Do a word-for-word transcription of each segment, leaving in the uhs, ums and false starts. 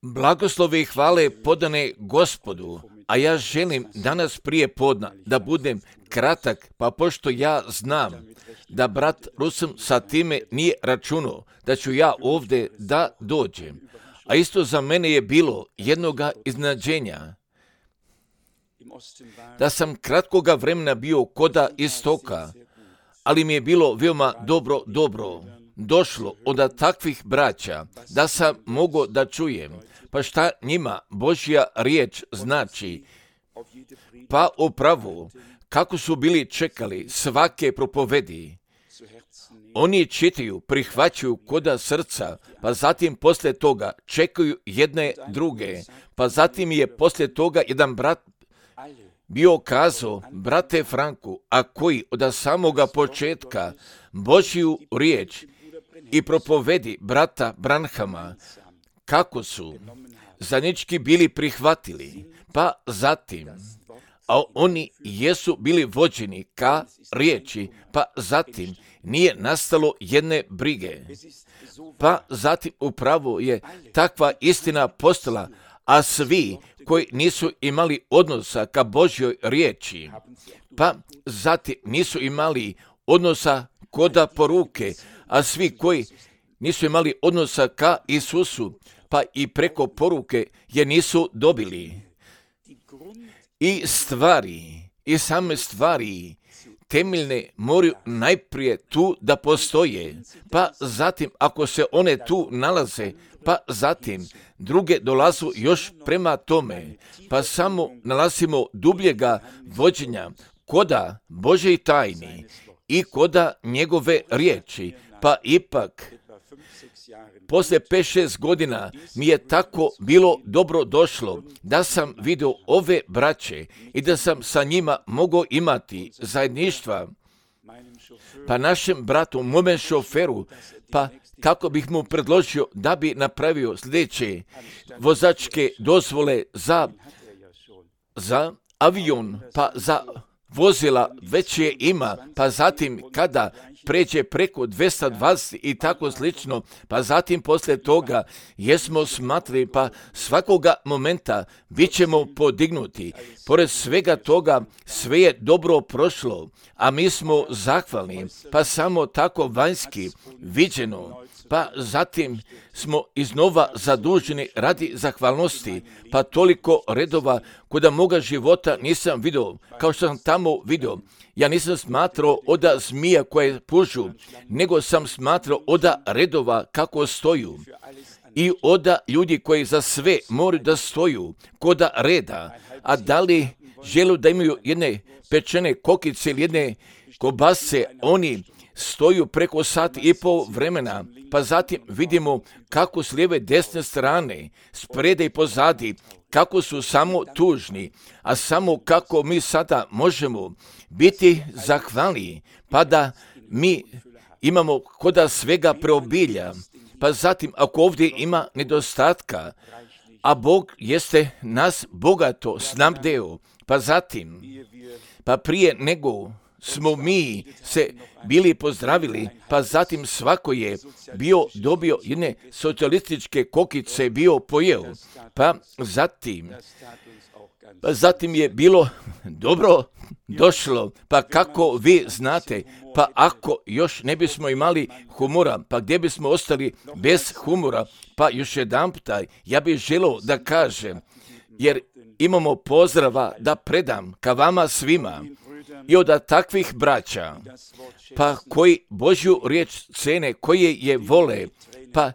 Blagoslovi i hvale podane Gospodu, a ja želim danas prije podna da budem kratak, pa pošto ja znam da brat Rusem sa time nije računao da ću ja ovdje da dođem, a isto za mene je bilo jednoga iznenađenja, da sam kratkoga vremena bio koda istoka, ali mi je bilo veoma dobro, dobro došlo od takvih braća, da sam mogao da čujem, pa šta njima Božja riječ znači, pa upravo kako su bili čekali svake propovedi. Oni čitaju, prihvaćaju koda srca, pa zatim poslije toga čekaju jedne druge, pa zatim je poslije toga jedan brat bio kazao, brate Franku, a koji od samoga početka Božju riječ i propovedi brata Branhama, kako su zajednički bili prihvatili, pa zatim, a oni jesu bili vođeni ka riječi, pa zatim nije nastalo jedne brige, pa zatim upravo je takva istina postala, a svi koji nisu imali odnosa ka Božjoj riječi, pa zatim nisu imali odnosa koda poruke, a svi koji nisu imali odnosa ka Isusu, pa i preko poruke je nisu dobili. I stvari, i same stvari temeljne moraju najprije tu da postoje, pa zatim ako se one tu nalaze, pa zatim druge dolazu još prema tome, pa samo nalazimo dubljega vođenja koda Božje tajni i koda njegove riječi, pa ipak poslije pet šest godina mi je tako bilo dobro došlo da sam vidio ove braće i da sam sa njima mogao imati zajedništva, pa našem bratu, mome šoferu, pa kako bih mu predložio da bi napravio sljedeće vozačke dozvole za, za avion, pa za vozila već je ima, pa zatim kada pređe preko dvjesto dvadeset i tako slično, pa zatim poslije toga jesmo smatrali, pa svakoga momenta bit ćemo podignuti. Pored svega toga sve je dobro prošlo, a mi smo zahvalni, pa samo tako vanjski viđeno, pa zatim smo iznova zaduženi radi zahvalnosti, pa toliko redova koda moga života nisam vidio, kao što sam tamo vidio. Ja nisam smatrao oda zmija koje pužu, nego sam smatrao oda redova kako stoju i oda ljudi koji za sve moraju da stoju koda reda, a da li žele da imaju jedne pečene kokice ili jedne kobasice, oni stoju preko sat i pol vremena, pa zatim vidimo kako s lijeve desne strane, sprede i pozadi, kako su samo tužni, a samo kako mi sada možemo biti zahvalni, pa da mi imamo koda svega preobilja, pa zatim ako ovdje ima nedostatka, a Bog jeste nas bogato snabdeo, pa zatim, pa prije nego smo mi se bili pozdravili, pa zatim svako je bio dobio jedne socijalističke kokice, bio pojeo, pa zatim, pa zatim je bilo dobro došlo, pa kako vi znate, pa ako još ne bismo imali humora, pa gdje bismo ostali bez humora, pa još jedan puta, ja bih želio da kažem, jer imamo pozdrava da predam ka vama svima, i od takvih braća, pa koji Božju riječ cene, koje je vole, pa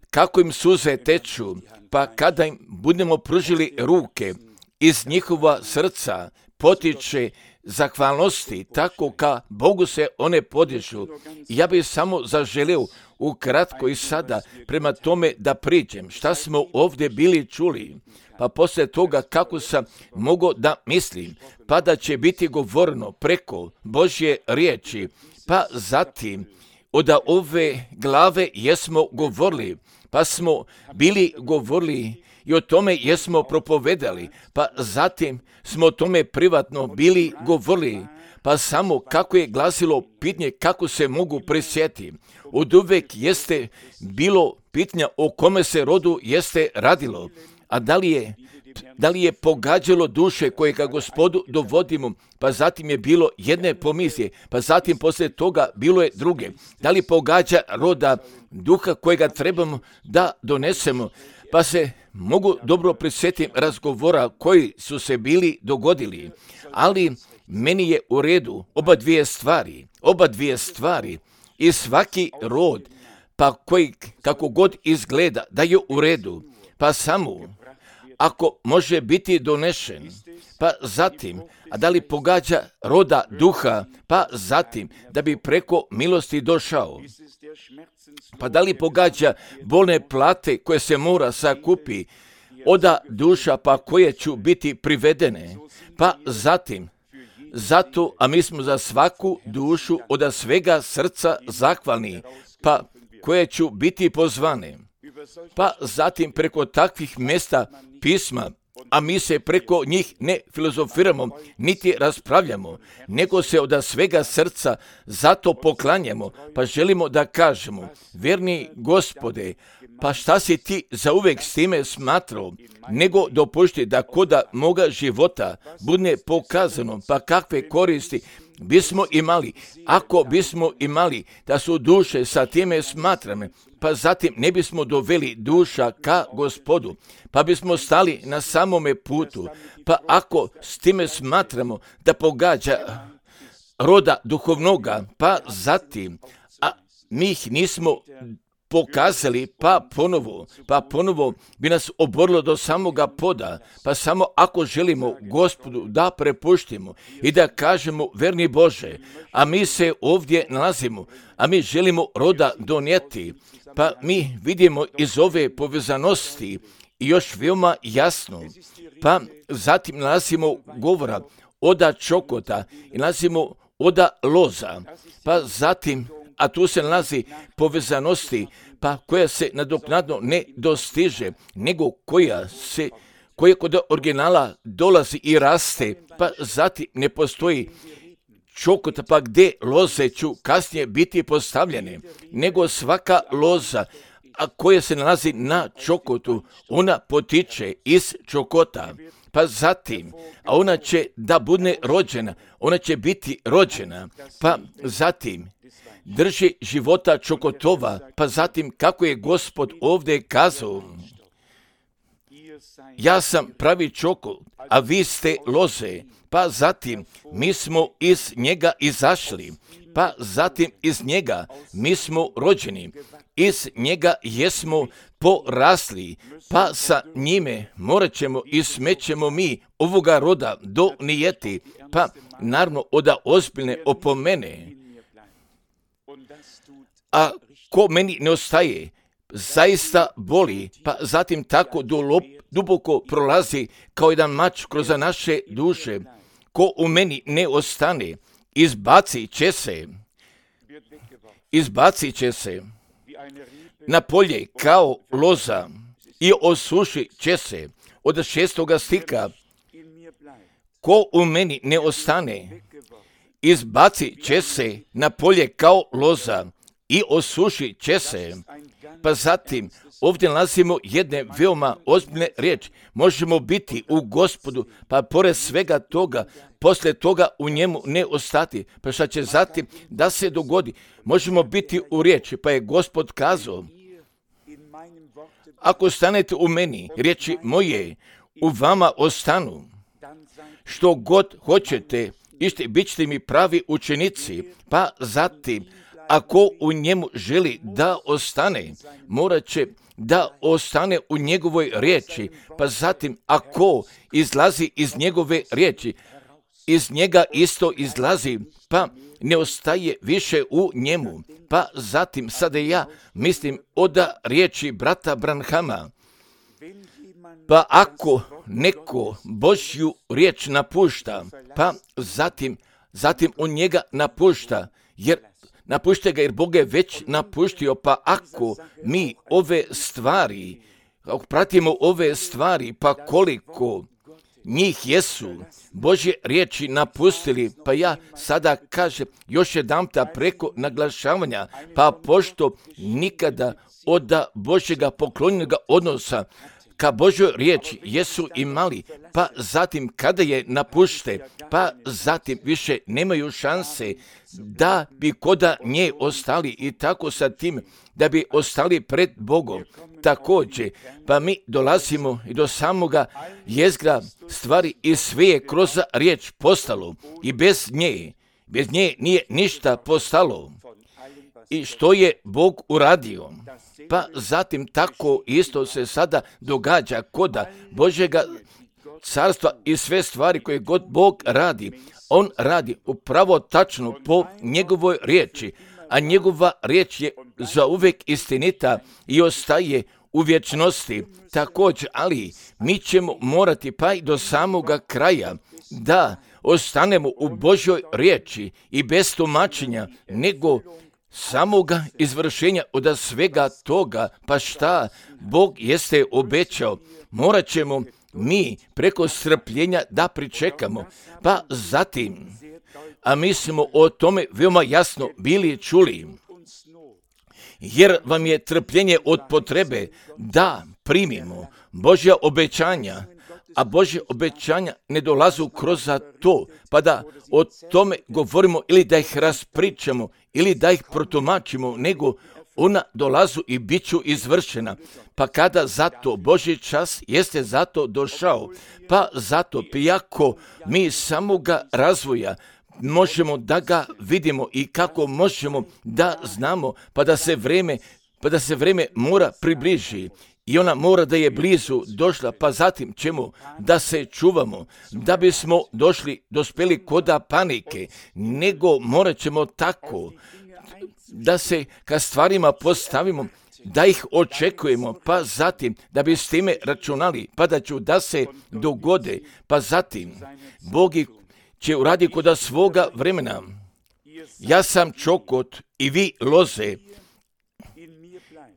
kako im suze teču, pa kada im budemo pružili ruke, iz njihova srca potiče zahvalnosti, tako ka Bogu se one podižu. Ja bih samo zaželio ukratko i sada prema tome da priđem šta smo ovdje bili čuli, pa poslije toga kako sam mogao da mislim, pa da će biti govorno preko Božje riječi, pa zatim od ove glave jesmo govorili, pa smo bili govorili i o tome jesmo propovedali, pa zatim smo o tome privatno bili govorili, pa samo kako je glasilo pitanje kako se mogu prisjetiti. Od uvek jeste bilo pitanja o kome se rodu jeste radilo, a da li je, da li je pogađalo duše koje ka Gospodu dovodimo, pa zatim je bilo jedne pomisije, pa zatim poslije toga bilo je druge. Da li pogađa roda duha kojega trebamo da donesemo, pa se mogu dobro prisjetiti razgovora koji su se bili dogodili, ali meni je u redu oba dvije stvari, oba dvije stvari i svaki rod, pa koji kako god izgleda da je u redu, pa samo ako može biti donešen, pa zatim, a da li pogađa roda duha, pa zatim da bi preko milosti došao, pa da li pogađa bolne plate koje se mora sakupi, oda duša pa koje ću biti privedene, pa zatim, zato, a mi smo za svaku dušu oda svega srca zahvalni, pa koje ću biti pozvane, pa zatim preko takvih mjesta pisma, a mi se preko njih ne filozofiramo, niti raspravljamo, nego se od svega srca zato poklanjamo, pa želimo da kažemo, vjerni Gospode, pa šta si ti zauvek s time smatrao, nego dopušti da koda moga života bude pokazano, pa kakve koristi bismo imali, ako bismo imali da su duše sa time smatrane, pa zatim ne bismo doveli duša ka Gospodu, pa bismo stali na samome putu, pa ako s time smatramo da pogađa roda duhovnoga, pa zatim, a mi ih nismo pokazali, pa ponovo, pa ponovo bi nas oborilo do samoga poda, pa samo ako želimo Gospodu da prepuštimo i da kažemo, verni Bože, a mi se ovdje nalazimo, a mi želimo roda donijeti, pa mi vidimo iz ove povezanosti i još veoma jasno, pa zatim nalazimo govora oda čokota i nalazimo oda loza, pa zatim, a tu se nalazi povezanosti, pa koja se nadoknadno ne dostiže, nego koja se, koja kod originala dolazi i raste, pa zatim ne postoji čokota, pa gdje loze ću kasnije biti postavljene, nego svaka loza, a koja se nalazi na čokotu, ona potiče iz čokota, pa zatim, a ona će da bude rođena, ona će biti rođena, pa zatim drži života čokotova, pa zatim kako je Gospod ovdje kazao, ja sam pravi čokot, a vi ste loze, pa zatim mi smo iz njega izašli, pa zatim iz njega mi smo rođeni, iz njega jesmo porasli, pa sa njime morat ćemo i smećemo mi ovoga roda donijeti, pa naravno oda ozbiljne opomene. A ko meni ne ostaje, zaista boli, pa zatim tako duboko prolazi kao jedan mač kroz naše duše. Ko u meni ne ostane, izbacit će se, izbacit će se na polje kao loza i osušit će se. Od šestoga stika, ko u meni ne ostane, izbacit će se na polje kao loza i osušit će se. Pa zatim, ovdje nalazimo jedne veoma ozbiljne riječi. Možemo biti u Gospodu, pa pored svega toga, poslije toga u njemu ne ostati. Pa šta će zatim da se dogodi? Možemo biti u riječi, pa je Gospod kazao, ako stanete u meni, riječi moje u vama ostanu, što god hoćete, ište bit ćete mi pravi učenici, pa zatim, ako u njemu želi da ostane, morat će da ostane u njegovoj riječi, pa zatim ako izlazi iz njegove riječi, iz njega isto izlazi, pa ne ostaje više u njemu. Pa zatim, sada ja mislim oda riječi brata Branhama, pa ako neko Božju riječ napušta, pa zatim, zatim on njega napušta, jer napušta ga jer Bog je već napuštio, pa ako mi ove stvari, ako pratimo ove stvari, pa koliko njih jesu Božje riječi napustili, pa ja sada kažem još jedanputa preko naglašavanja, pa pošto nikada od Božjega poklonjenoga odnosa ka Božjoj riječi jesu imali, pa zatim kada je napušte, pa zatim više nemaju šanse da bi koda nje ostali i tako sa tim da bi ostali pred Bogom. Također, pa mi dolazimo i do samoga jezgra stvari i sve je kroz riječ postalo i bez nje, bez nje nije ništa postalo. I što je Bog uradio? Pa zatim tako isto se sada događa koda Božjega carstva i sve stvari koje god Bog radi. On radi upravo tačno po njegovoj riječi, a njegova riječ je zauvijek istinita i ostaje u vječnosti. Također, ali mi ćemo morati pa i do samoga kraja da ostanemo u Božjoj riječi i bez tumačenja, nego samoga izvršenja od svega toga. Pa šta Bog jeste obećao, morat ćemo mi preko strpljenja da pričekamo. Pa zatim, a mi smo o tome veoma jasno bili čuli, jer vam je trpljenje od potrebe da primimo Božja obećanja, a Božje obećanja ne dolazu kroz to, pa da o tome govorimo ili da ih raspričamo ili da ih protumačimo, nego ona dolazu i bit ću izvršena. Pa kada zato Božji čas jeste zato došao, pa zato prijako mi samoga razvoja možemo da ga vidimo i kako možemo da znamo, pa da se vreme, pa da se vreme mora približi. I ona mora da je blizu došla, pa zatim ćemo da se čuvamo, da bismo došli, dospeli koda panike, nego morat ćemo tako da se ka stvarima postavimo, da ih očekujemo, pa zatim da bi s time računali, pa da ću da se dogode, pa zatim Bog će uradi koda svoga vremena. Ja sam čokot i vi loze,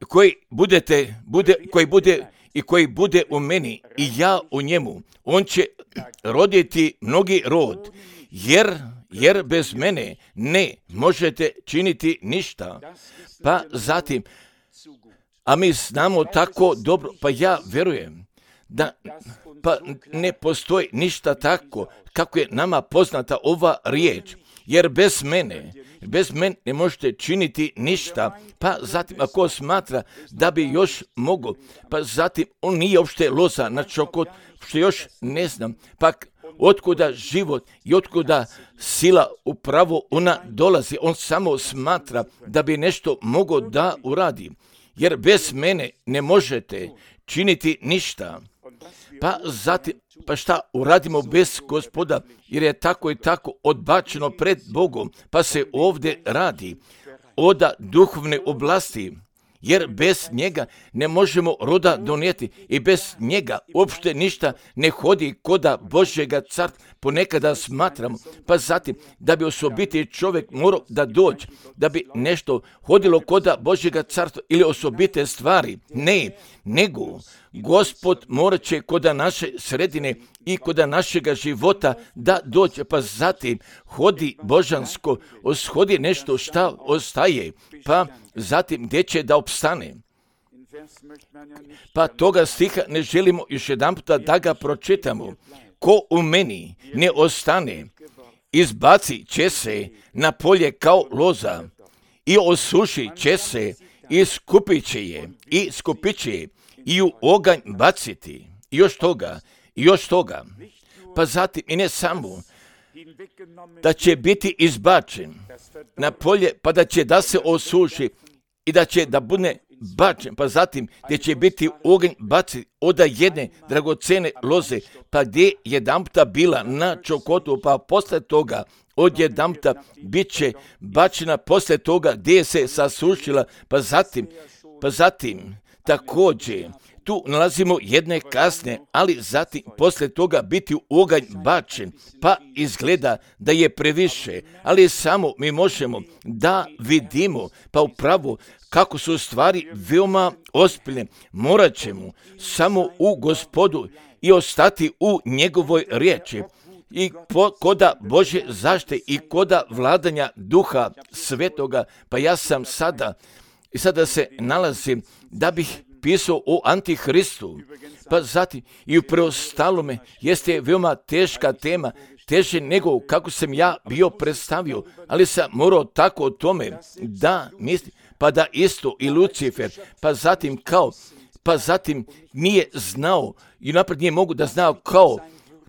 koji budete, bude, koji bude i koji bude u meni i ja u njemu, on će roditi mnogi rod, jer, jer bez mene ne možete činiti ništa. Pa zatim, a mi znamo tako dobro, pa ja vjerujem da pa ne postoji ništa tako kako je nama poznata ova riječ, jer bez mene, bez mene ne možete činiti ništa. Pa zatim ako smatra da bi još mogo, pa zatim on nije uopšte loza na čokot, što još ne znam, pa otkuda život i otkuda sila upravo ona dolazi, on samo smatra da bi nešto mogo da uradi, jer bez mene ne možete činiti ništa. Pa zatim, pa šta uradimo bez Gospoda, jer je tako i tako odbačeno pred Bogom, pa se ovdje radi od duhovne oblasti, jer bez njega ne možemo roda donijeti i bez njega uopšte ništa ne hodi koda Božjega carstva. Ponekada smatramo, pa zatim da bi osobiti čovjek morao da dođe, da bi nešto hodilo koda Božjega carstva ili osobite stvari. Ne, nego Gospod morat će koda naše sredine i koda našega života da dođe, pa zatim hodi božansko, oshodi nešto šta ostaje, pa zatim gdje će da opstane. Pa toga stiha ne želimo još jedan puta da ga pročitamo. Ko u meni ne ostane, izbaci će se na polje kao loza i osuši će se i skupit će je i skupit će je i u oganj baciti. I još toga, i još toga. Pa zatim i ne samo da će biti izbačen na polje, pa da će da se osuši i da će da bude bačen, pa zatim gdje će biti oganj baciti od jedne dragocene loze, pa gdje jedanputa bila na čokotu, pa posle toga od jedanputa bit će bačena posle toga gdje se sasušila, pa zatim, pa zatim također tu nalazimo jedne kasne, ali zatim posle toga biti u oganj bačen, pa izgleda da je previše, ali samo mi možemo da vidimo, pa upravo kako su stvari veoma ozbiljne. Morat ćemo samo u Gospodu i ostati u njegovoj riječi i po, koda Božje zaštite i koda vladanja Duha Svetoga. Pa ja sam sada i sada se nalazim da bih pisao o Antihristu. Pa zatim i u preostalome jeste veoma teška tema, teže nego kako sam ja bio predstavio, ali sam morao tako o tome da mislim, pa da isto i Lucifer, pa zatim kao, pa zatim nije znao i napred nije mogu da znao kao,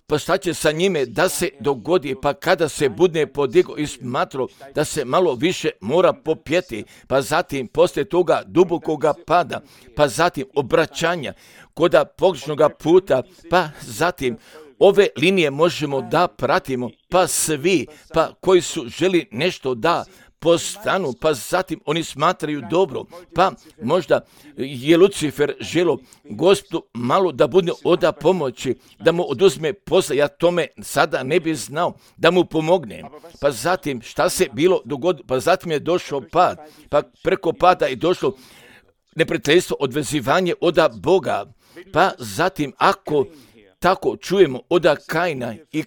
pa šta će sa njime da se dogodi, pa kada se budne podigao i smatrao da se malo više mora popjeti, pa zatim poslije toga dubokoga pada, pa zatim obraćanja koda pogrešnoga puta, pa zatim ove linije možemo da pratimo, pa svi, pa koji su želi nešto da postanu, pa zatim oni smatraju dobro, pa možda je Lucifer želo Gospodu malo da bude oda pomoći, da mu oduzme posla, ja tome sada ne bi znao, da mu pomogne. Pa zatim šta se bilo dogodilo, pa zatim je došao pad, pa preko pada je došlo neprijateljstvo, odvezivanje oda Boga, pa zatim ako tako čujemo oda Kaina i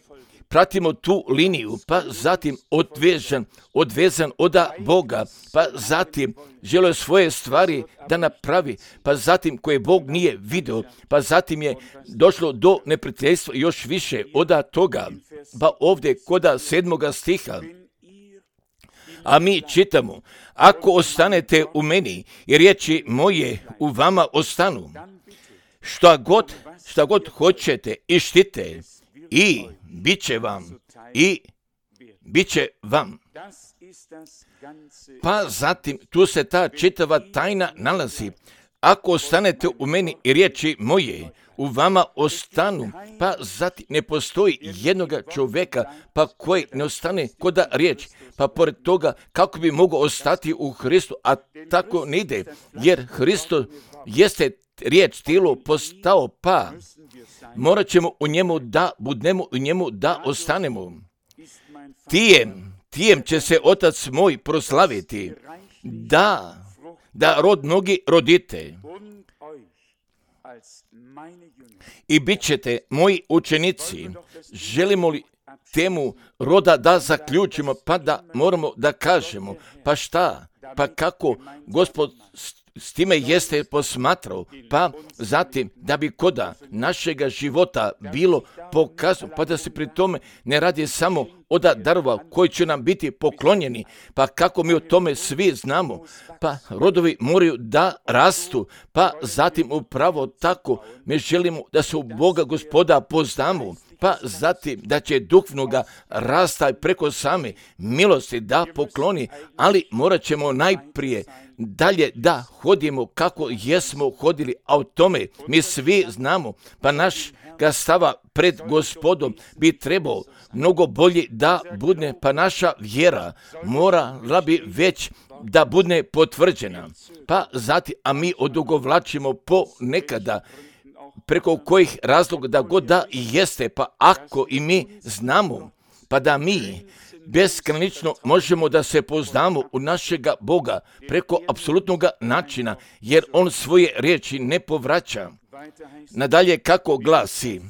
pratimo tu liniju, pa zatim odvezan, odvezan oda Boga, pa zatim želio svoje stvari da napravi, pa zatim koje Bog nije vidio, pa zatim je došlo do neprijateljstva još više oda toga. Pa ovdje koda sedmoga stiha, a mi čitamo, ako ostanete u meni i riječi moje u vama ostanu, šta god, šta god hoćete i štite, i bit će vam, i bit će vam. Pa zatim, tu se ta čitava tajna nalazi. Ako ostanete u meni i riječi moje u vama ostanu, pa zatim ne postoji jednoga čovjeka, pa koji ne ostane koda riječ, pa pored toga kako bi mogao ostati u Hristu, a tako ne ide, jer Hristo jeste riječ tijelo postao, pa morat ćemo u njemu da budemo, u njemu da ostanemo. Tijem, tijem će se Otac moj proslaviti, da, da rod mnogi rodite. I bit ćete moji učenici. Želimo li temu roda da zaključimo, pa da moramo da kažemo, pa šta, pa kako Gospod s time jeste posmatrao, pa zatim da bi koda našega života bilo pokazano, pa da se pri tome ne radi samo od darova koji će nam biti poklonjeni, pa kako mi o tome svi znamo, pa rodovi moraju da rastu, pa zatim upravo tako mi želimo da se u Boga Gospoda poznamo, pa zatim da će duhovnoga rasta preko same milosti da pokloni, ali morat ćemo najprije dalje da hodimo kako jesmo hodili, a o tome mi svi znamo, pa naš ga stava pred Gospodom bi trebao mnogo bolji da bude, pa naša vjera morala bi već da bude potvrđena, pa zatim, a mi odugovlačimo po nekada, preko kojih razloga da god da jeste, pa ako i mi znamo, pa da mi beskrajnično možemo da se poznamo u našega Boga preko apsolutnog načina, jer On svoje riječi ne povraća. Nadalje kako glasi,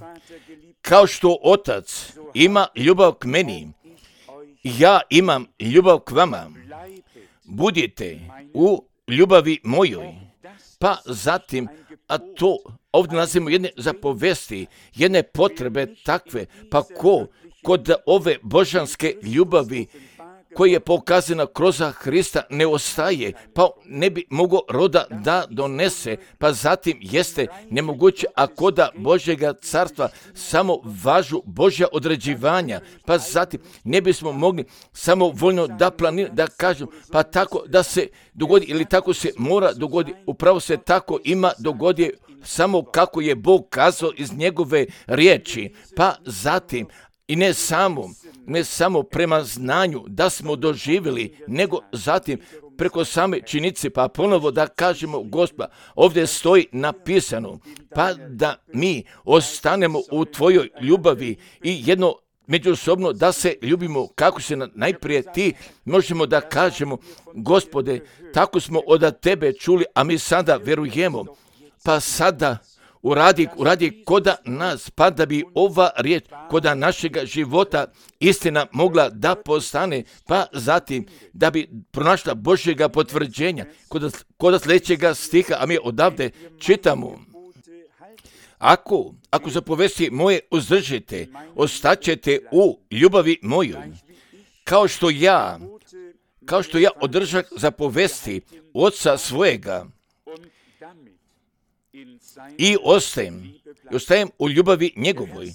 kao što Otac ima ljubav k meni, ja imam ljubav k vama, budite u ljubavi mojoj. Pa zatim, a to ovdje nalazimo jedne zapovesti, jedne potrebe takve, pa ko kod ove božanske ljubavi koja je pokazana kroz Hrista ne ostaje, pa ne bi mogao roda da donese, pa zatim jeste nemoguće, a koda Božjega carstva samo važu Božja određivanja, pa zatim ne bismo mogli samo voljno da planiramo, da kažem, pa tako da se dogodi ili tako se mora dogodi, upravo se tako ima dogodi samo kako je Bog kazao iz njegove riječi, pa zatim i ne samo, ne samo prema znanju da smo doživjeli, nego zatim preko same činjenice, pa ponovo da kažemo, Gospod, ovdje stoji napisano, pa da mi ostanemo u tvojoj ljubavi i jedno međusobno da se ljubimo kako se najprije ti možemo da kažemo, Gospode, tako smo od tebe čuli, a mi sada verujemo, pa sada uradi, uradi koda nas, pa da bi ova riječ koda našega života istina mogla da postane, pa zatim da bi pronašla Božjega potvrđenja koda, koda sljedećega stiha, a mi odavde čitamo. Ako, ako zapovesti moje uzdržite, ostaćete u ljubavi mojoj, kao što ja, kao što ja održak zapovesti Oca svojega i ostajem, i ostajem u ljubavi njegovoj.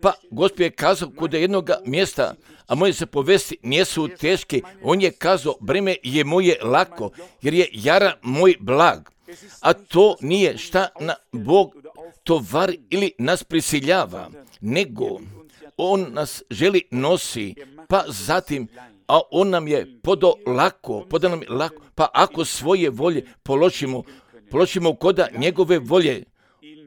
Pa Gospod je kazao kod jednog mjesta, a moje zapovesti nisu teške, on je kazao, breme je moje lako, jer je jara moj blag. A to nije šta na Bog tovari ili nas prisiljava, nego on nas želi nosi, pa zatim, a on nam je podo lako, podo nam je lako, pa ako svoje volje položimo, položimo koda njegove volje,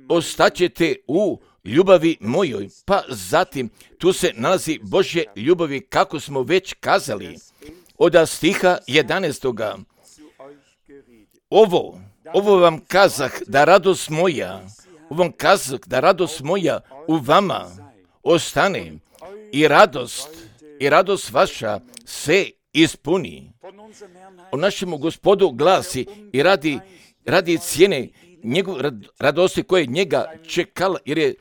ostaćete u ljubavi mojoj, pa zatim tu se nalazi Božje ljubavi, kako smo već kazali, od stiha jedanaestoga. Ovo, ovo vam kazah da radost moja, ovo vam kazah da radost moja u vama ostane i radost, i radost vaša se ispuni. O našemu Gospodu glasi i radi, radi cijene njegov radosti koje njega čekala, jer je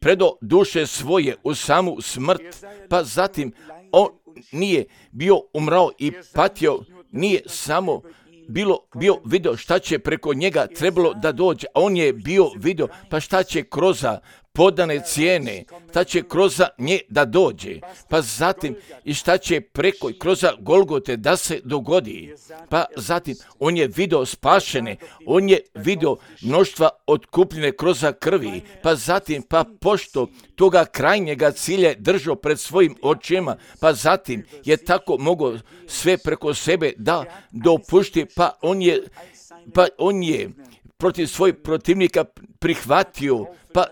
predo duše svoje u samu smrt, pa zatim on nije bio umrao i patio, nije samo bilo, bio video šta će preko njega trebalo da dođe, a on je bio video pa šta će kroz podane cijene, šta će kroz nje da dođe, pa zatim i šta će preko kroz Golgote da se dogodi, pa zatim on je video spašene, on je video mnoštva otkupljene kroz krvi, pa zatim pa pošto toga krajnjega cilja držao pred svojim očima, pa zatim je tako mogao sve preko sebe da dopušti, pa on je, pa on je protiv svojih protivnika prihvatio, pa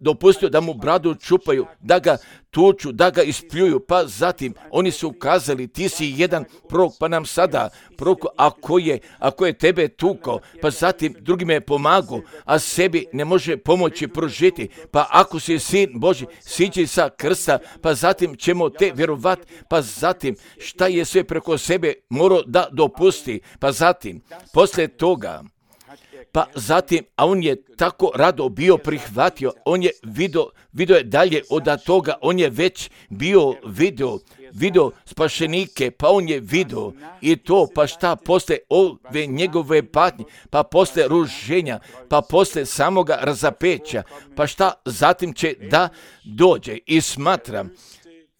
dopustio da mu bradu čupaju, da ga tuču, da ga ispljuju, pa zatim oni su ukazali, ti si jedan prorok, pa nam sada prorok, ako je, ako je tebe tukao, pa zatim drugime je pomagao, a sebi ne može pomoći pružiti, pa ako si sin Božji, siđi sa krsta, pa zatim ćemo te vjerovati, pa zatim šta je sve preko sebe morao da dopusti, pa zatim, poslije toga, pa zatim, a on je tako rado bio prihvatio, on je video, video je dalje od toga, on je već bio video, video spašenike, pa on je video i to, pa šta posle ove njegove patnje, pa posle ruženja, pa posle samoga razapeća, pa šta zatim će da dođe i smatram,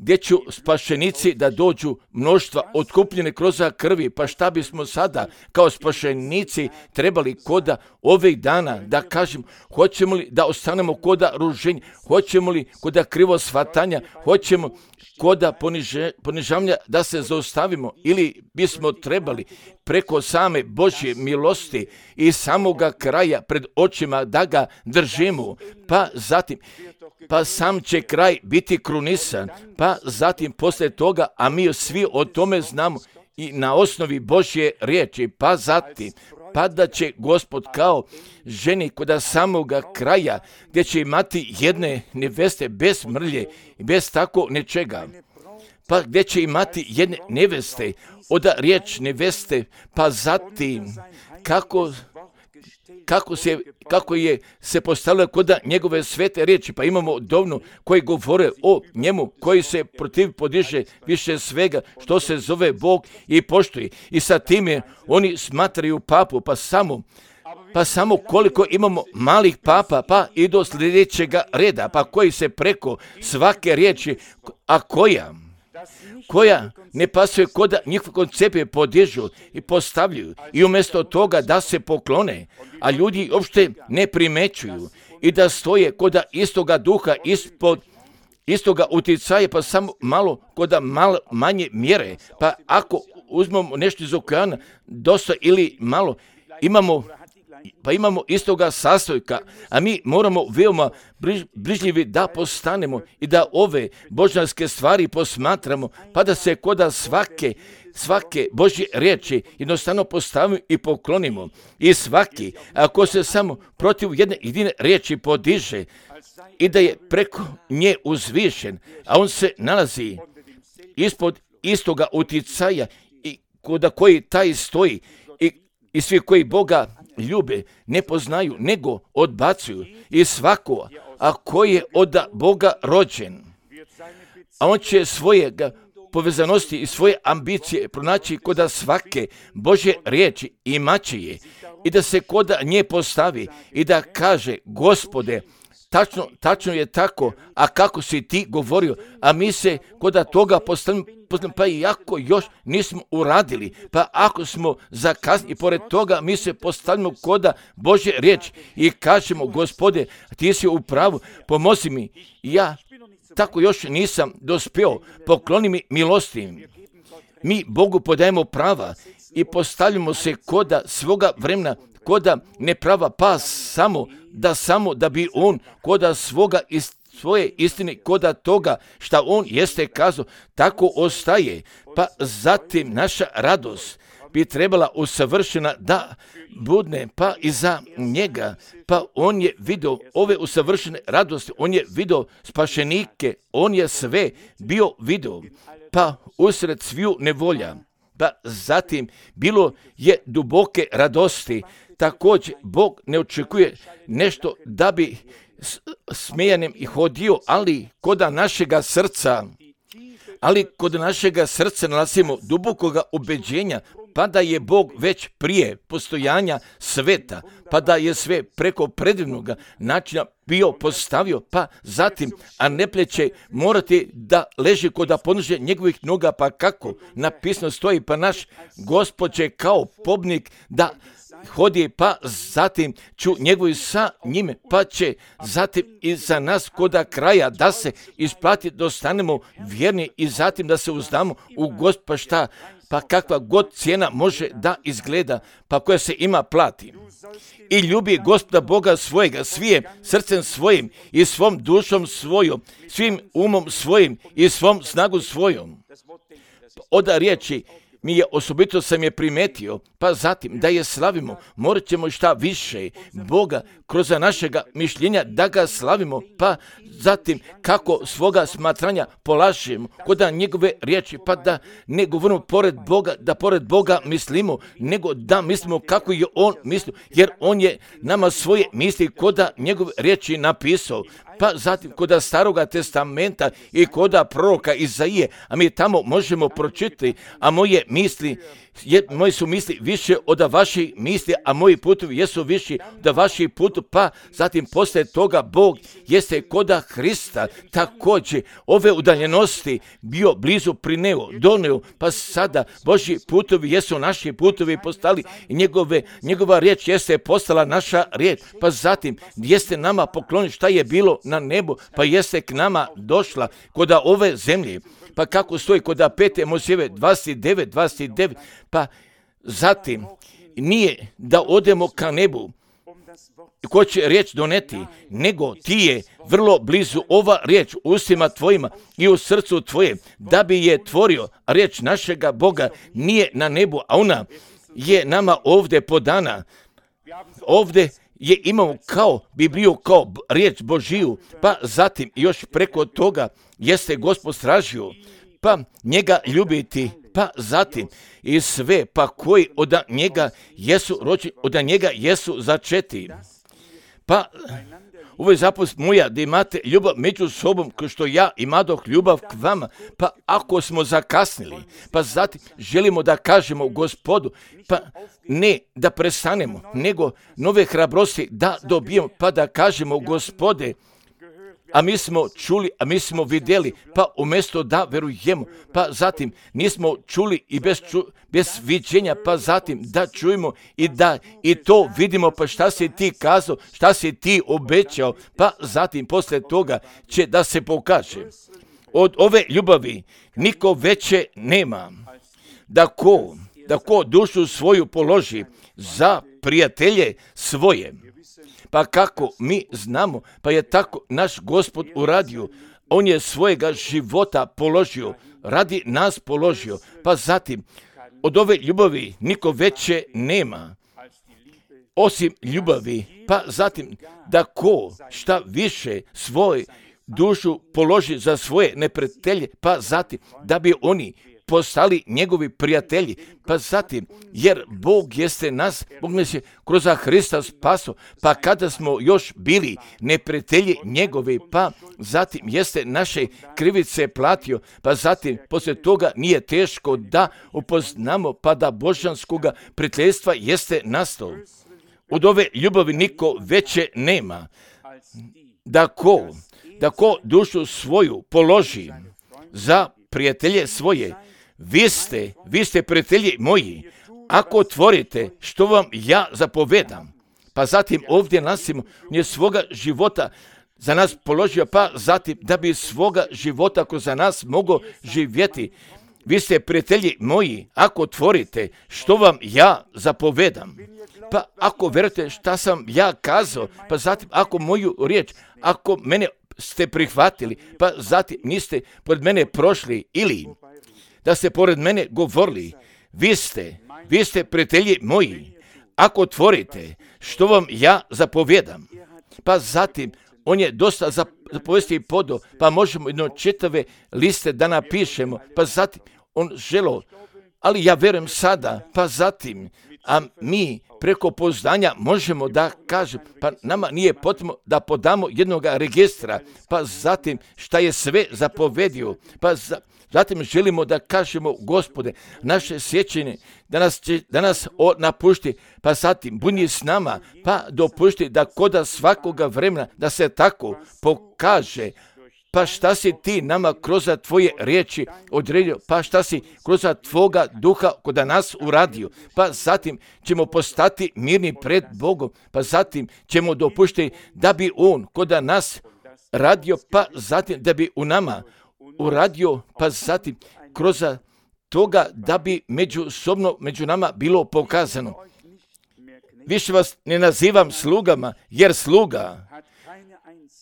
gdje ću spašenici da dođu mnoštva otkupljene kroz krvi, pa šta bismo sada kao spašenici trebali koda ovih dana da kažem, hoćemo li da ostanemo koda ruženja, hoćemo li koda krivo shvatanja, hoćemo koda poniže, ponižavanja da se zaustavimo ili bismo trebali preko same Božje milosti i samoga kraja pred očima da ga držimo, pa zatim pa sam će kraj biti krunisan, pa zatim poslije toga, a mi svi o tome znamo i na osnovi Božje riječi, pa zatim, pa da će Gospod kao ženi koda samoga kraja, gdje će imati jedne neveste bez mrlje i bez tako nečega, pa gdje će imati jedne neveste, oda riječ neveste, pa zatim kako Kako, se, kako je se postavilo kod njegove svete riječi, pa imamo dovnu koji govore o njemu, koji se protiv podiže više svega što se zove Bog i poštuje. I sa time oni smatraju papu, pa samo, pa samo koliko imamo malih papa, pa i do sljedećega reda, pa koji se preko svake riječi, a koja? koja ne pasuje koda njihove koncepte podižu i postavljaju i umjesto toga da se poklone, a ljudi uopšte ne primećuju i da stoje koda istoga duha ispod istoga uticaja, pa samo malo koda malo manje mjere, pa ako uzmemo nešto iz okeana, dosta ili malo, imamo pa imamo istoga sastojka, a mi moramo veoma briž, brižljivi da postanemo i da ove božanske stvari posmatramo, pa da se koda svake svake Božje riječi jednostavno postavimo i poklonimo. I svaki, ako se samo protiv jedne jedine riječi podiže i da je preko nje uzvišen, a on se nalazi ispod istoga uticaja i kod koji taj stoji i, i svi koji Boga ljube ne poznaju, nego odbacuju. I svako, a koji je od Boga rođen, a on će svoje povezanosti i svoje ambicije pronaći kod svake Božje riječi i maće je i da se kod nje postavi i da kaže: Gospode, tačno, tačno je tako, a kako si ti govorio, a mi se kod toga postavimo, pa i ako još nismo uradili, pa ako smo zakasnili, i pored toga mi se postavimo kod Božje riječi i kažemo: Gospode, ti si u pravu, pomozi mi, ja tako još nisam dospio, pokloni mi milosti. Mi Bogu podajemo prava i postavljamo se kod svoga vremena, kod neprava, pa samo da samo da bi on kod svoga ist, svoje istine, kod toga šta on jeste kazao, tako ostaje. Pa zatim naša radost bi trebala usavršena da budne, pa i za njega. Pa on je vidio ove usavršene radosti, on je vidio spašenike, on je sve bio vidio, pa usred sviju nevolja. Pa zatim bilo je duboke radosti. Također Bog ne očekuje nešto da bi smijanem i hodio, ali kod našega srca, ali kod našega srca nalazimo dubokoga ubeđenja, pa da je Bog već prije postojanja sveta, pa da je sve preko predivnoga načina bio postavio, pa zatim, a ne pleće morati da leži kod podnožja njegovih noga, pa kako napisano stoji, pa naš Gospod će kao pobnik da hodi, pa zatim ću njegovi sa njime, pa će zatim i za nas koda kraja da se isplati, da ostanemo vjerni i zatim da se uzdamo u Gospod, pa šta, pa kakva god cijena može da izgleda, pa koja se ima plati. I ljubi Gospoda Boga svojega, svije srcem svojim i svom dušom svojom, svim umom svojim i svom snagu svojom. Od riječi mi je osobito sam je primetio, pa zatim da je slavimo, morat ćemo šta više Boga kroz našega mišljenja da ga slavimo, pa zatim kako svoga smatranja polažemo kod njegove riječi, pa da ne govorimo pored Boga, da pored Boga mislimo, nego da mislimo kako je on mislio, jer on je nama svoje misli kod njegove riječi napisao. Pa zatim kod Staroga testamenta i kod proroka Izaije, a mi tamo možemo pročitati, a moje misli, je, moji su misli više od vaših misli, a moji putovi jesu viši od vaših putova, pa zatim poslije toga Bog jeste kod Hrista također ove udaljenosti bio blizu prineo, doneo, pa sada Božji putovi jesu naši putovi postali i njegove, njegova riječ jeste postala naša riječ, pa zatim jeste nama pokloni šta je bilo na nebu, pa jeste k nama došla kod ove zemlje. Pa kako stoji kod pete Mojsijeve dvadeset devet dvadeset devet, pa zatim nije da odemo ka nebu, ko će riječ doneti, nego ti je vrlo blizu ova riječ u ustima tvojima i u srcu tvoje, da bi je tvorio. Riječ našega Boga nije na nebu, a ona je nama ovdje podana. Ovdje je imamo kao Bibliju, kao riječ Božiju, pa zatim još preko toga jeste Gospod stražio, pa njega ljubiti, pa zatim i sve, pa koji od njega jesu rođeni, od njega jesu začeti. Pa ovo je zapost moja, da imate ljubav među sobom, kao što ja imadoh ljubav k vama, pa ako smo zakasnili, pa zatim želimo da kažemo Gospodu, pa ne da prestanemo, nego nove hrabrosti da dobijemo, pa da kažemo Gospode, a mi smo čuli, a mi smo vidjeli, pa umjesto da verujemo, pa zatim nismo čuli i bez, ču, bez viđenja, pa zatim da čujemo i da i to vidimo, pa šta si ti kazao, šta si ti obećao, pa zatim posle toga će da se pokaže. Od ove ljubavi niko veće nema, da ko, da ko dušu svoju položi za prijatelje svoje. Pa kako mi znamo, pa je tako naš Gospod uradio. On je svojega života položio radi nas položio. Pa zatim, od ove ljubavi niko veće nema, osim ljubavi. Pa zatim, da ko šta više svoj dušu položi za svoje neprijatelje, pa zatim, da bi oni postali njegovi prijatelji. Pa zatim, jer Bog jeste nas, Bog nas je kroz Hrista spaso, pa kada smo još bili neprijatelji njegovi, pa zatim jeste naše krivice platio, pa zatim poslije toga nije teško da upoznamo, pa da božanskoga prijateljstva jeste nastao. Od ove ljubavi niko veće nema, da ko, da ko dušu svoju položi za prijatelje svoje. Vi ste, vi ste prijatelji moji, ako otvorite što vam ja zapovedam. Pa zatim ovdje nasimo, nije svoga života za nas položio, pa zatim da bi svoga života kroz za nas mogao živjeti. Vi ste prijatelji moji, ako otvorite što vam ja zapovedam. Pa ako verujete šta sam ja kazao, pa zatim ako moju riječ, ako mene ste prihvatili, pa zatim niste pored mene prošli ili da ste pored mene govorili, vi ste, vi ste prijatelji moji, ako otvorite što vam ja zapovjedam. Pa zatim, on je dosta zapovesti podo, pa možemo jedno čitave liste da napišemo, pa zatim, on želo, ali ja verujem sada, pa zatim, a mi preko poznanja možemo da kažemo, pa nama nije potrebno da podamo jednog registra, pa zatim šta je sve zapovedio, pa za, zatim želimo da kažemo, Gospode, naše sjećanje da nas, će, da nas napušti, pa zatim budi s nama, pa dopušti da koda svakoga vremena da se tako pokaže. Pa šta si ti nama kroz tvoje riječi odredio, pa šta si kroz tvoga duha kod nas uradio, pa zatim ćemo postati mirni pred Bogom, pa zatim ćemo dopuštiti da bi on kod nas radio, pa zatim da bi u nama uradio, pa zatim kroz toga da bi međusobno među nama bilo pokazano. Više vas ne nazivam slugama, jer sluga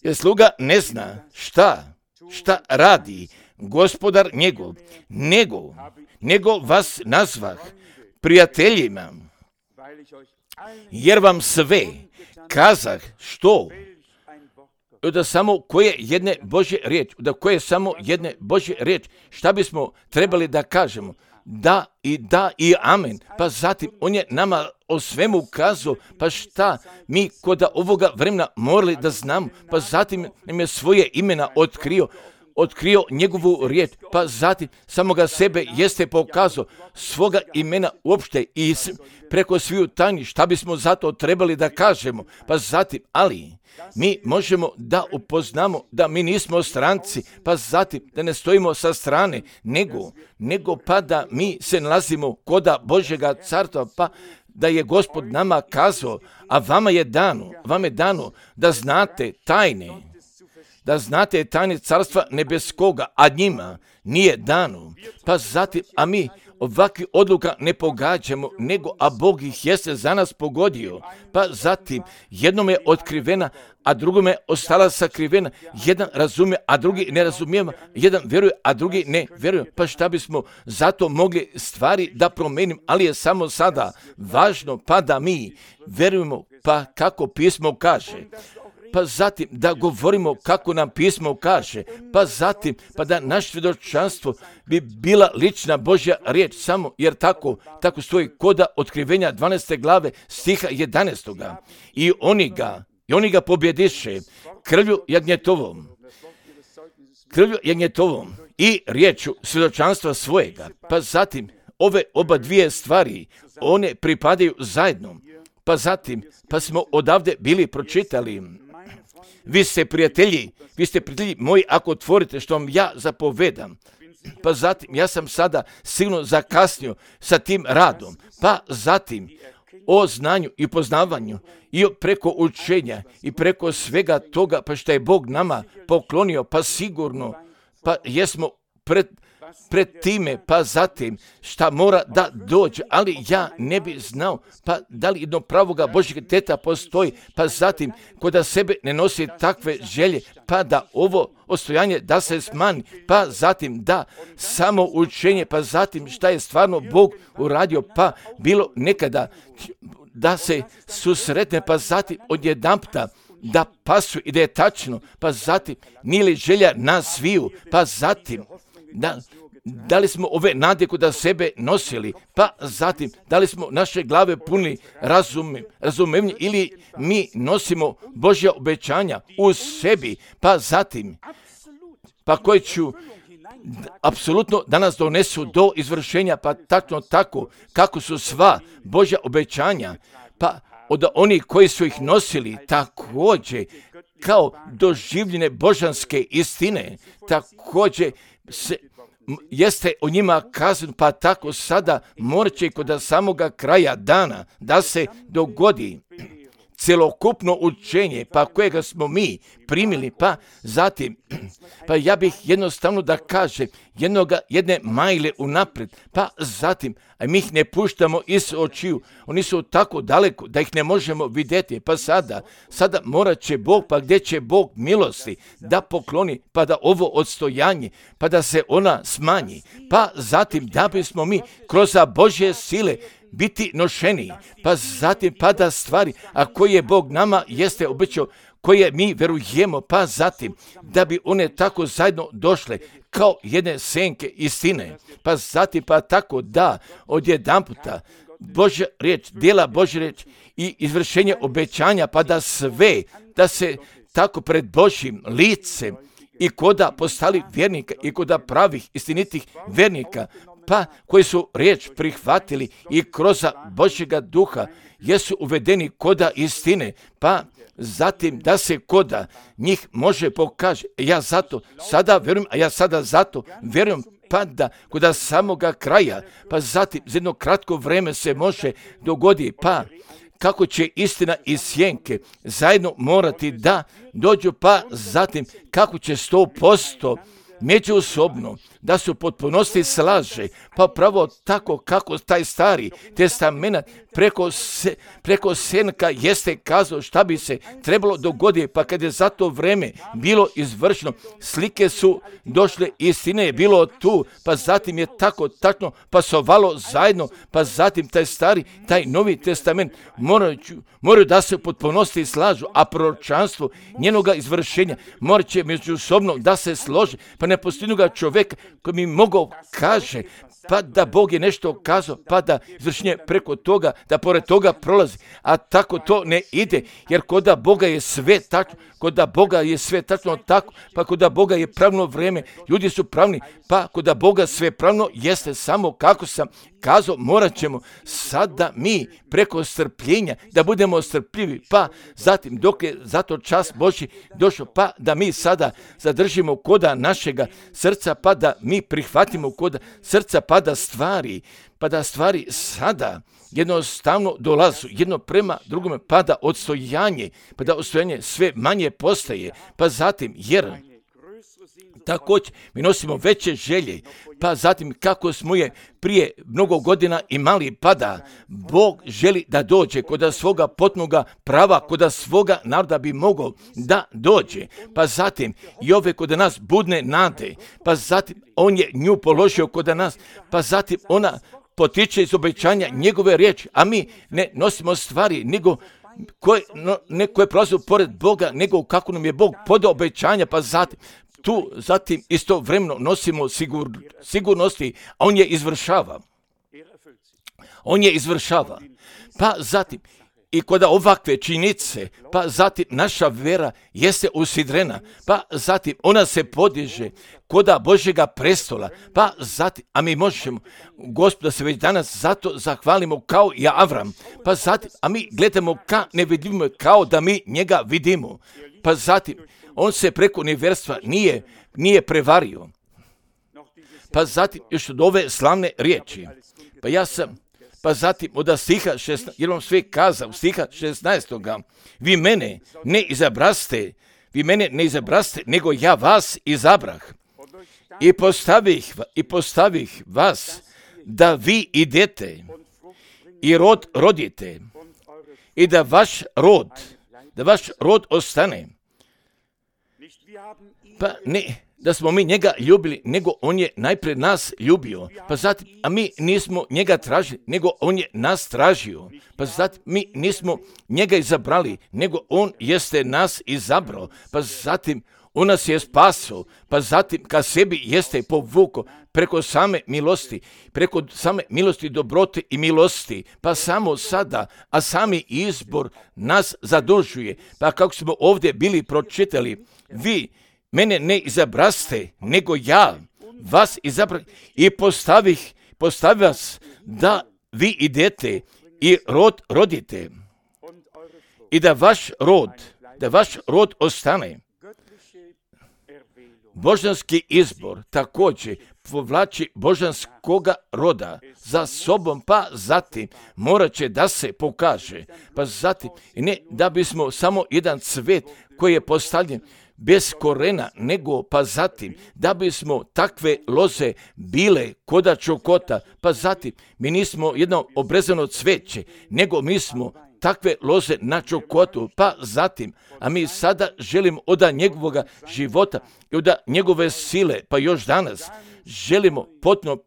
Jer sluga ne zna šta, šta radi gospodar njegov, nego, nego vas nazvah prijateljima, jer vam sve kazah što, da samo koje jedne Božje riječ, da koje samo jedne Božje riječ, šta bismo trebali da kažemo? Da i da i amen. Pa zatim on je nama o svemu kazao, pa šta mi kod ovoga vremena morali da znamo, pa zatim nam je svoje imena otkrio, otkrio njegovu riječ, pa zatim samoga sebe jeste pokazao, svoga imena uopšte i preko sviju tajni, šta bismo zato trebali da kažemo, pa zatim, ali mi možemo da upoznamo da mi nismo stranci, pa zatim da ne stojimo sa strane, nego, nego pa da mi se nalazimo koda Božjega carstva, pa da je Gospod nama kazao, a vama je dano, vama je dano da znate tajne, da znate tajne carstva nebeskoga, a njima nije dano. Pa zatim, a mi ovakvi odluka ne pogađamo, nego a Bog ih jeste za nas pogodio. Pa zatim, jednom je otkrivena, a drugome ostala sakrivena. Jedan razumije, a drugi ne razumije. Jedan vjeruje, a drugi ne vjeruje. Pa šta bismo zato mogli stvari da promenim, ali je samo sada važno pa da mi vjerujemo, pa kako pismo kaže. Pa zatim da govorimo kako nam pismo kaže, pa zatim pa da naš svjedočanstvo bi bila lična Božja riječ, samo jer tako, tako stoji koda otkrivenja dvanaeste glave stiha jedanaestoga. I oni ga, i oni ga pobjediše krvlju jagnjetovom, krvlju jagnjetovom i riječu svjedočanstva svojega. Pa zatim ove oba dvije stvari, one pripadaju zajedno. Pa zatim, pa smo odavde bili pročitali, vi ste prijatelji, vi ste prijatelji moji ako otvorite što vam ja zapovedam. Pa zatim, ja sam sada sigurno zakasnio sa tim radom. Pa zatim, o znanju i poznavanju i preko učenja i preko svega toga, pa što je Bog nama poklonio, pa sigurno, pa jesmo pred pred time, pa zatim šta mora da dođe, ali ja ne bi znao, pa da li jedno pravoga Božjeg djeteta postoji, pa zatim kod sebe ne nosi takve želje, pa da ovo ostojanje da se smanji, pa zatim da samo učenje, pa zatim šta je stvarno Bog uradio, pa bilo nekada da se susretne, pa zatim odjedanputa da pasu i da je tačno, pa zatim nije li želja nas sviju, pa zatim da, da li smo ove nade kod sebe nosili, pa zatim da li smo naše glave punili razumem, razumevnje ili mi nosimo Božja obećanja u sebi, pa zatim pa koji ću apsolutno da nas donesu do izvršenja, pa tačno tako kako su sva Božja obećanja, pa od onih koji su ih nosili također kao doživljene božanske istine, također se jeste o njima kazano, pa tako sada morat će kod samoga kraja dana da se dogodi celokupno učenje, pa kojega smo mi primili, pa zatim, pa ja bih jednostavno da kažem jednoga, jedne majle unaprijed, pa zatim, a mi ih ne puštamo iz očiju, oni su tako daleko da ih ne možemo vidjeti, pa sada, sada morat će Bog, pa gdje će Bog milosti da pokloni, pa da ovo odstojanje, pa da se ona smanji, pa zatim da bismo mi kroz Božje sile biti nošeni, pa zatim pada stvari, a koje Bog nama jeste obećao, koje mi verujemo, pa zatim da bi one tako zajedno došle kao jedne senke istine, pa zatim pa tako da odjedanputa Božja riječ, djela Božja riječ i izvršenje obećanja, pa da sve, da se tako pred Božjim licem i koda postali vjernika i koda pravih istinitih vjernika, pa koji su riječ prihvatili i kroz Božjega duha jesu uvedeni koda istine, pa zatim da se koda njih može pokaže. Ja zato sada vjerujem, a ja sada zato vjerujem, pa da koda samoga kraja, pa zatim za jedno kratko vrijeme se može dogodi, pa kako će istina i sjenke zajedno morati da dođu, pa zatim kako će sto posto međusobno da su potpunosti slaže, pa pravo tako kako taj stari testament preko, se, preko senka jeste kazao šta bi se trebalo dogoditi, pa kad je za to vreme bilo izvršeno, slike su došle, istine je bilo tu, pa zatim je tako tačno pasovalo zajedno, pa zatim taj stari, taj novi testament moraju, moraju da se potpunosti slažu, a proročanstvo njenoga izvršenja morat će međusobno da se složi, pa ne postoji ga čovjeka koji mi mogao kaže, pa da Bog je nešto kazao, pa da izvršenje preko toga, da pored toga prolazi, a tako to ne ide, jer kod Boga je sve tačno, kod Boga je sve tačno tako, pa kod Boga je pravno vrijeme, ljudi su pravni, pa kod Boga sve pravno jeste samo kako sam kazao, morat ćemo sada mi preko strpljenja da budemo strpljivi, pa zatim dok je zato čas Božji došao, pa da mi sada zadržimo koda našega srca, pa da mi prihvatimo koda srca, pa da stvari, pa da stvari sada jednostavno dolazu jedno prema drugome, pa da odstojanje, pa da odstojanje sve manje postaje, pa zatim jer također mi nosimo veće želje, pa zatim kako smo je prije mnogo godina imali, pa da Bog želi da dođe kod svoga potpunoga prava, kod svoga naroda bi mogao da dođe, pa zatim i ove kod nas budne nade, pa zatim on je nju položio kod nas, pa zatim ona potiče iz obećanja njegove riječi, a mi ne nosimo stvari, nego koje, no, ne koje prolaze pored Boga, nego kako nam je Bog podao obećanja, pa zatim tu zatim istovremeno nosimo sigur, sigurnosti, a on je izvršava. On je izvršava. Pa zatim, i kod ovakve činjenice, pa zatim naša vera jeste usidrena, pa zatim ona se podiže koda Božjega prestola, pa zatim, a mi možemo, Gospoda se već danas zato zahvalimo kao i Avram, pa zatim, a mi gledamo ka ne vidimo kao da mi njega vidimo, pa zatim, on se preko nevjerstva nije, nije prevario. Pa zatim, još od ove slavne riječi, pa ja sam, pa zatim od stiha šesnaestog, jer vam sve kazao, stiha šesnaestog, vi mene ne izabraste, vi mene ne izabraste, nego ja vas izabrah. i postavih, i postavih vas da vi idete i rod rodite i da vaš rod, da vaš rod ostane. Pa ne da smo mi njega ljubili, nego on je najprije nas ljubio, pa zatim, a mi nismo njega tražili, nego on je nas tražio, pa zatim mi nismo njega izabrali, nego on jeste nas izabrao, pa zatim on nas je spasao, pa zatim ka sebi jeste povukao preko same milosti, preko same milosti, dobrote i milosti, pa samo sada, a sami izbor nas zadužuje, pa kako smo ovdje bili pročitali, vi mene ne izabraste, nego ja vas izabrah i postavih, postavih vas da vi idete i rod rodite i da vaš rod, da vaš rod ostane. Božanski izbor također povlači božanskoga roda za sobom, pa zatim morat će da se pokaže, pa zatim ne da bismo samo jedan cvet koji je postavljen bez korena, nego pa zatim da bismo takve loze bile koda čokota, pa zatim mi nismo jedno obrezano cveće, nego mi smo takve loze na čokotu, pa zatim, a mi sada želimo od njegovoga života i od njegove sile, pa još danas želimo potpuno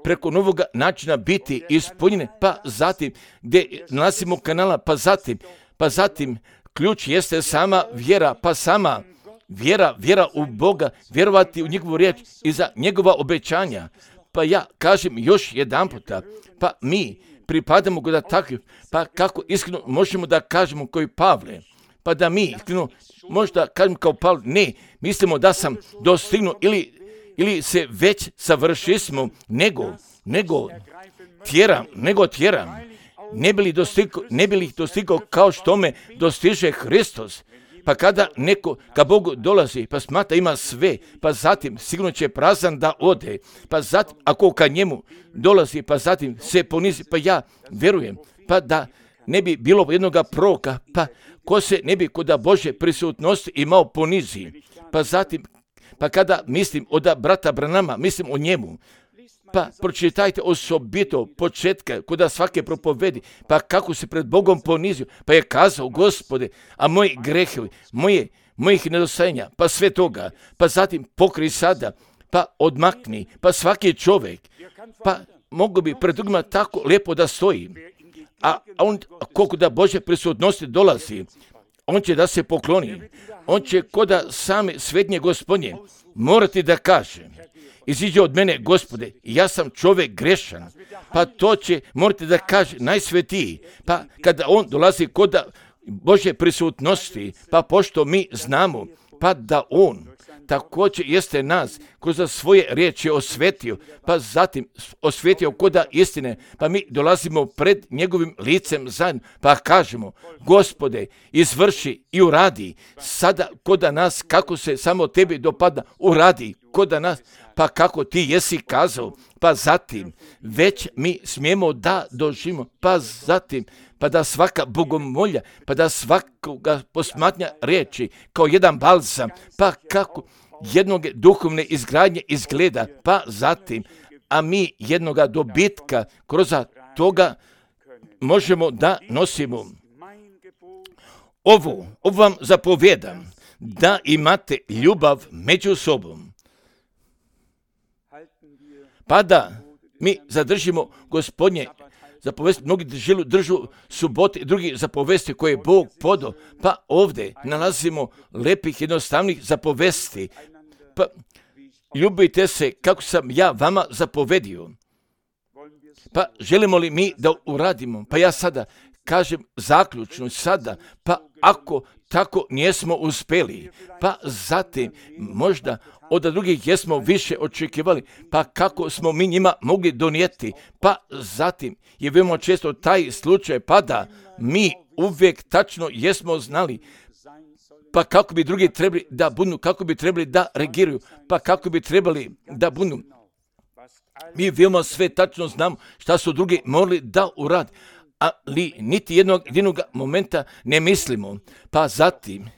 preko novoga načina biti ispunjeni, pa zatim gdje nalazimo kanala, pa zatim, pa zatim ključ jeste sama vjera, pa sama vjera, vjera u Boga, vjerovati u njegovu riječ i za njegova obećanja. Pa ja kažem još jedan puta, pa mi pripadamo da takvi, pa kako iskreno možemo da kažemo koji Pavle, pa da mi iskreno možda kažemo kao Pavle, ne, mislimo da sam dostignuo ili, ili se već savršismo, nego, nego tjeram, nego tjeram, ne bi li dostigao, ne bi li dostigao kao što me dostiže Hristos. Pa kada neko ka Bogu dolazi, pa smatra ima sve, pa zatim sigurno će prazan da ode, pa zatim ako ka njemu dolazi, pa zatim se ponizi, pa ja verujem, pa da ne bi bilo jednoga proroka, pa ko se ne bi kod Božje prisutnosti imao ponizi, pa zatim, pa kada mislim od brata Branama, mislim o njemu, pa pročitajte osobito početka kod svake propovedi, pa kako se pred Bogom ponizio, pa je kazao, Gospode, a moji grehevi, moje, mojih nedostajanja, pa sve toga, pa zatim pokri sada, pa odmakni, pa svaki čovjek, pa mogu bi pred drugima tako lijepo da stoji, a on, koliko da Božje prisutnosti dolazi, on će da se pokloni, on će koda same svetnje Gospodnje morati da kaže, iziđe od mene, Gospode, ja sam čovjek grešan, pa to će morati da kaže najsvetiji, pa kada on dolazi kod Božje prisutnosti, pa pošto mi znamo, pa da on također jeste nas kroz svoje riječi osvetio, pa zatim osvetio koda istine, pa mi dolazimo pred njegovim licem zajedno, pa kažemo, Gospode, izvrši i uradi sada koda nas, kako se samo tebi dopada, uradi koda nas, pa kako ti jesi kazao, pa zatim već mi smijemo da doživimo, pa zatim pa da svaka bogomolja, pa da svakoga posmatnja riječi kao jedan balzam, pa kako jednog duhovne izgradnje izgleda, pa zatim, a mi jednoga dobitka kroz toga možemo da nosimo. Ovo, ovo vam zapovjedam, da imate ljubav među sobom. Pa da mi zadržimo Gospodnje zapovesti, mnogi držu, držu subote, drugi zapovesti koje je Bog podao, pa ovdje nalazimo lepih jednostavnih zapovesti. Pa ljubite se kako sam ja vama zapovedio. Pa želimo li mi da uradimo? Pa ja sada kažem zaključno sada, pa ako tako nismo uspjeli, pa zatim možda od drugih jesmo više očekivali, pa kako smo mi njima mogli donijeti, pa zatim je veoma često taj slučaj, pa da mi uvijek tačno jesmo znali, pa kako bi drugi trebali da budu, kako bi trebali da reagiraju, pa kako bi trebali da budu. Mi veoma sve tačno znamo šta su drugi morali da uradi, ali niti jednog jedinog momenta ne mislimo, pa zatim,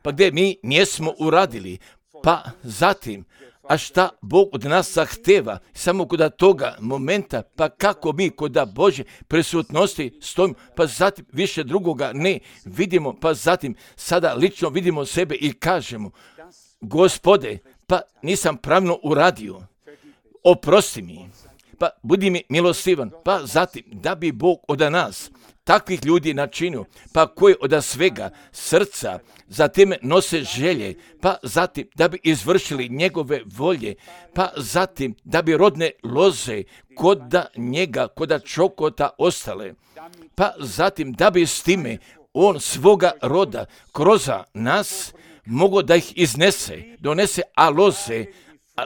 pa gdje mi nismo uradili, pa zatim, A šta Bog od nas zahteva? Samo kod toga momenta, pa kako mi kod Božje prisutnosti stojimo, pa zatim više drugoga ne vidimo, pa zatim sada lično vidimo sebe i kažemo, Gospode, pa nisam pravilno uradio, oprosti mi, pa budi mi milostivan, pa zatim da bi Bog od nas takvih ljudi načinio, pa koji od svega srca zatim nose želje, pa zatim da bi izvršili njegove volje, pa zatim da bi rodne loze koda njega, koda čokota ostale, pa zatim da bi s time on svoga roda kroz nas mogo da ih iznese, donese, a loze, a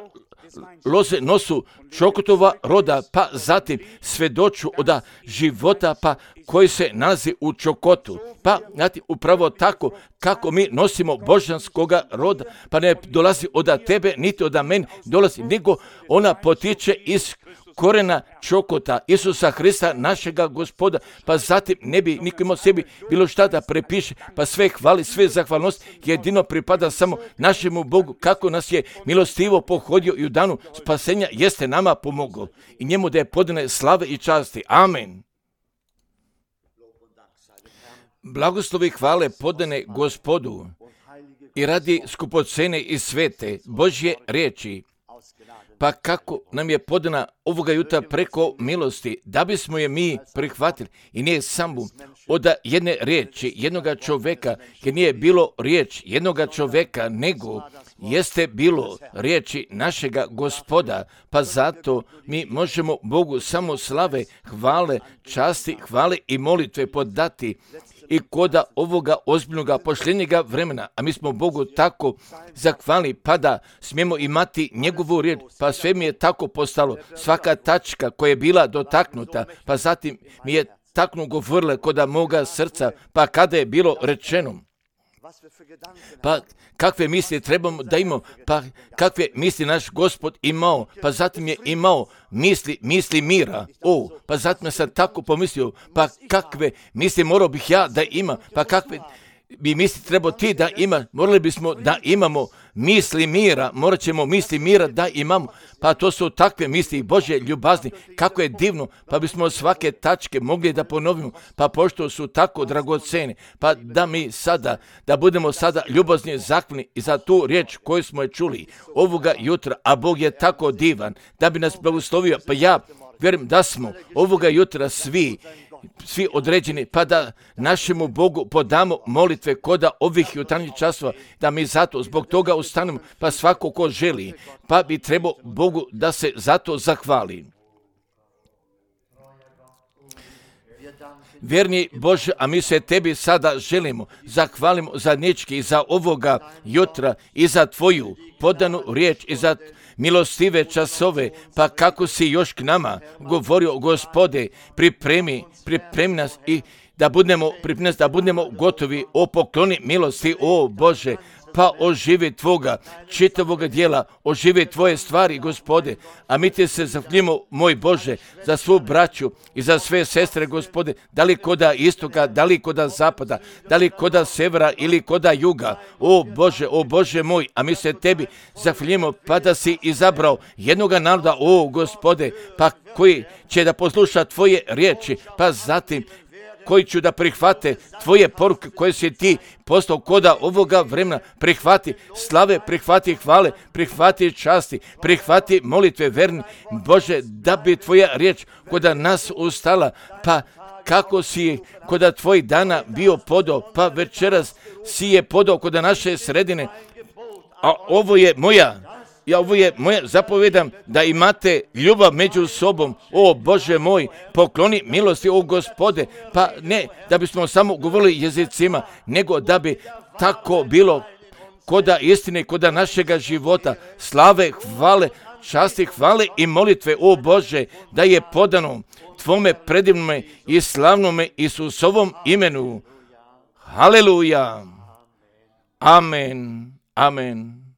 loze nosu čokotova roda, pa zatim svedoču od života, pa koji se nalazi u čokotu. Pa, znate, upravo tako kako mi nosimo božanskoga roda, pa ne dolazi od tebe, niti od mene dolazi, nego ona potiče iz korena čokota Isusa Hrista, našega Gospoda, pa zatim ne bi niko imao sebi bilo šta da prepiše, pa sve hvali, sve zahvalnost jedino pripada samo našemu Bogu, kako nas je milostivo pohodio i u danu spasenja jeste nama pomogao i njemu da je podane slave i časti. Amen. Blagoslovi i hvale podane Gospodu i radi skupocene i svete Božje riječi, pa kako nam je podana ovoga jutra preko milosti, da bismo je mi prihvatili i nije samo od jedne riječi, jednoga čoveka, jer nije bilo riječ jednoga čoveka, nego jeste bilo riječi našega Gospoda, pa zato mi možemo Bogu samo slave, hvale, časti, hvale i molitve podati i koda ovoga ozbiljnoga pošljenjega vremena, a mi smo Bogu tako zahvalni, pa da smijemo imati njegovu riječ, pa sve mi je tako postalo, svaka tačka koja je bila dotaknuta, pa zatim mi je taknu govorile koda moga srca, pa kada je bilo rečeno, pa kakve misli trebamo da imamo, pa kakve misli naš Gospod imao, pa zatim je imao misli, misli mira, o, pa zatim sam tako pomislio, pa kakve misli morao bih ja da imam, pa kakve bi misli trebao ti da ima, morali bismo da imamo misli mira, morat ćemo misli mira da imamo, pa to su takve misli Božje ljubazni, kako je divno, pa bismo svake tačke mogli da ponovimo, pa pošto su tako dragocene, pa da mi sada, da budemo sada ljubazni zahvalni i za tu riječ koju smo je čuli ovoga jutra, a Bog je tako divan, da bi nas blagoslovio, pa ja vjerujem da smo ovoga jutra svi, svi određeni, pa da našemu Bogu podamo molitve koda ovih jutarnjih časova, da mi zato zbog toga ustanemo, pa svako ko želi, pa bi trebao Bogu da se zato zahvali. Vjerni Bože, a mi se tebi sada želimo, zahvalimo zadnjički i za ovoga jutra i za tvoju podanu riječ i za milostive časove, pa kako si još k nama govorio, Gospode, pripremi, pripremi nas i da budemo, pripremi nas da budemo gotovi, o pokloni milosti, o Bože, pa oživi tvoga čitavoga dijela, oživi tvoje stvari, Gospode, a mi ti se zahvaljujemo, moj Bože, za svu braću i za sve sestre, Gospode, da li koda istoka, da li koda zapada, da li koda severa ili koda juga, o Bože, o Bože moj, a mi se tebi zahvaljujemo, pa da si izabrao jednoga naroda, o Gospode, pa koji će da posluša tvoje riječi, pa zatim koji ću da prihvate tvoje poruke koje si ti poslao koda ovoga vremena, prihvati slave, prihvati hvale, prihvati časti, prihvati molitve verni, Bože, da bi tvoja riječ koda nas ustala, pa kako si koda tvojih dana bio podao, pa večeras si je podao koda naše sredine, a ovo je moja, ja ovo je moja, zapovedam da imate ljubav među sobom, o Bože moj, pokloni milosti, o Gospode, pa ne da bismo samo govorili jezicima, nego da bi tako bilo koda istine, koda našega života, slave, hvale, časti, hvale i molitve, o Bože, da je podano tvome predivnome i slavnome Isusovom imenu. Haleluja. Amen. Amen.